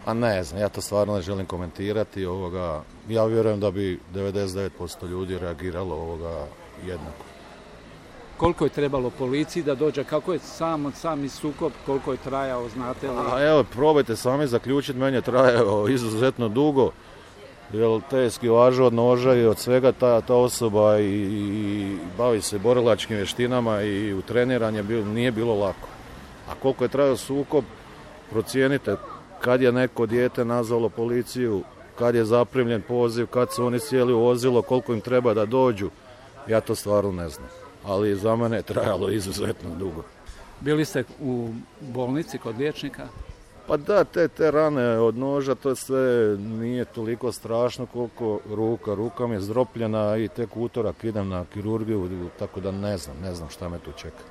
A ne znam, ja to stvarno ne želim komentirati. Ja vjerujem da bi 99% ljudi reagiralo jednako. Koliko je trebalo policiji da dođe, kako je sami sukob, koliko je trajao, znate li? Evo, probajte sami zaključiti, meni je trajao izuzetno dugo, jer teški važu od noža i od svega ta osoba i bavi se borilačkim vještinama i u treniranje nije bilo lako. A koliko je trajao sukob, procijenite kad je neko dijete nazvalo policiju, kad je zaprimljen poziv, kad su oni sjeli u vozilo, koliko im treba da dođu, ja to stvarno ne znam. Ali za mene je trajalo izuzetno dugo. Bili ste u bolnici kod liječnika? Pa da, te rane od noža, to sve nije toliko strašno koliko ruka mi je zdropljena i tek utorak idem na kirurgiju, tako da ne znam šta me tu čeka.